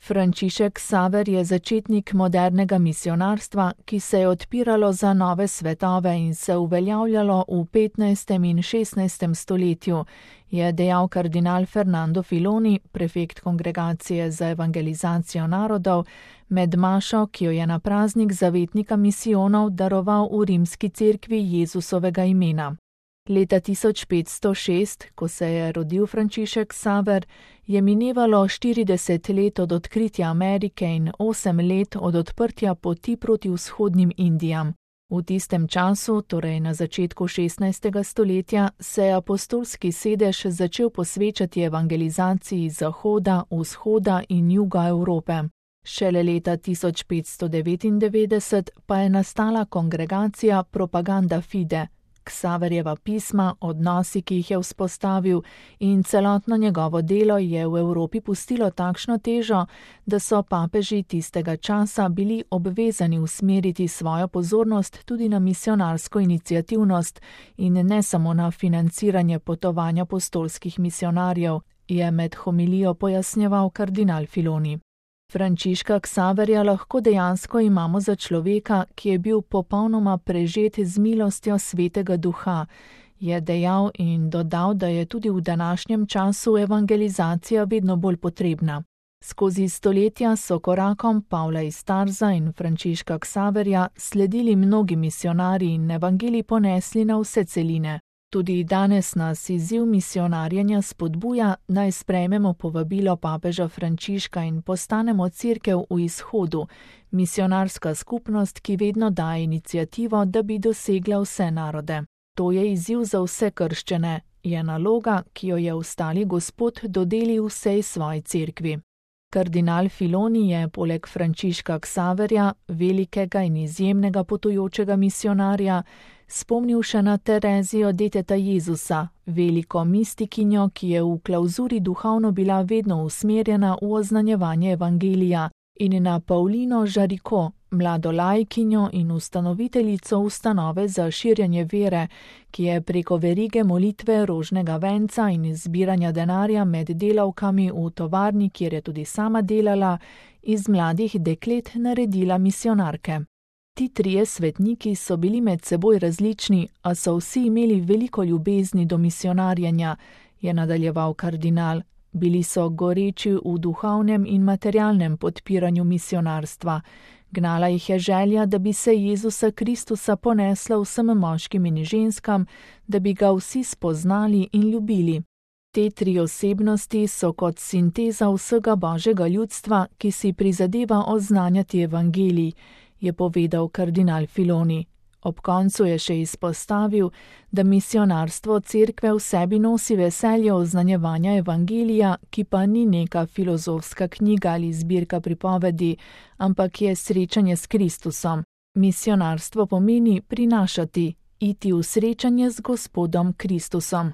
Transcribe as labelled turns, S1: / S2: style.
S1: Frančišek Ksaver je začetnik modernega misijonarstva, ki se je odpiralo za nove svetove in se uveljavljalo v 15. in 16. stoletju, je dejal kardinal Fernando Filoni, prefekt Kongregacije za evangelizacijo narodov, med mašo, ki jo je na praznik zavetnika misijonov daroval v rimski cerkvi Jezusovega imena. Leta 1506, ko se je rodil Frančišek Ksaver, je minevalo 40 let od odkritja Amerike in 8 let od odprtja poti proti vzhodnim Indijam. V tistem času, torej na začetku 16. stoletja, se je apostolski sedež začel posvečati evangelizaciji Zahoda, Vzhoda in Juga Evrope. Šele leta 1599 pa je nastala kongregacija Propaganda Fide, Ksaverjeva pisma, odnosi, ki jih je vzpostavil, in celotno njegovo delo je v Evropi pustilo takšno težo, da so papeži tistega časa bili obvezani usmeriti svojo pozornost tudi na misijonarsko iniciativnost in ne samo na financiranje potovanja apostolskih misijonarjev, je med homilijo pojasnjeval kardinal Filoni. Frančiška Ksaverja lahko dejansko imamo za človeka, ki je bil popolnoma prežet z milostjo Svetega Duha, je dejal in dodal, da je tudi v današnjem času evangelizacija vedno bolj potrebna. Skozi stoletja so korakom Pavla iz Tarza in Frančiška Ksaverja sledili mnogi misijonarji in evangelij ponesli na vse celine. Tudi danes nas izziv misijonarjenja spodbuja, naj sprejmemo povabilo papeža Frančiška in postanemo cerkev v izhodu, misijonarska skupnost, ki vedno daje iniciativo, da bi dosegla vse narode. To je izziv za vse krščane, je naloga, ki jo je ostali Gospod dodelil vsej svoji cerkvi. Kardinal Filoni je poleg Frančiška Ksaverja, velikega in izjemnega potujočega misijonarja, spomnil še na Terezijo deteta Jezusa, veliko mistikinjo, ki je v klavzuri duhovno bila vedno usmerjena v oznanjevanje evangelija, in na Paulino Žariko, mlado laikinjo in ustanoviteljico ustanove za širjenje vere, ki je preko verige molitve rožnega venca in zbiranja denarja med delavkami v tovarni, kjer je tudi sama delala, iz mladih deklet naredila misijonarke. Ti trije svetniki so bili med seboj različni, a so vsi imeli veliko ljubezni do misijonarjenja, je nadaljeval kardinal. Bili so goreči v duhovnem in materialnem podpiranju misijonarstva. Gnala jih je želja, da bi se Jezusa Kristusa ponesla vsem moškim in ženskam, da bi ga vsi spoznali in ljubili. Te tri osebnosti so kot sinteza vsega božjega ljudstva, ki si prizadeva oznanjati evangelij, je povedal kardinal Filoni. Ob koncu je še izpostavil, da misijonarstvo cerkve v sebi nosi veselje oznanjevanja evangelija, ki pa ni neka filozofska knjiga ali zbirka pripovedi, ampak je srečanje s Kristusom. Misijonarstvo pomeni prinašati, iti v srečanje z Gospodom Kristusom.